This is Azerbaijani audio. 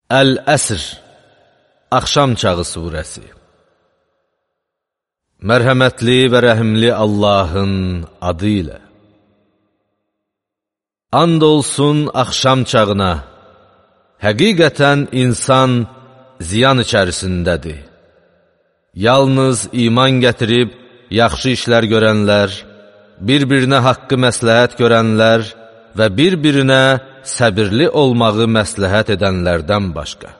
Əl-Əsr, Axşam Çağı Surəsi. Mərhəmətli və rəhimli Allahın adı ilə. And olsun axşam çağına, həqiqətən insan ziyan içərisindədir. Yalnız iman gətirib, yaxşı işlər görənlər, bir-birinə haqqı məsləhət görənlər və bir-birinə səbirli olmağı məsləhət edənlərdən başqa.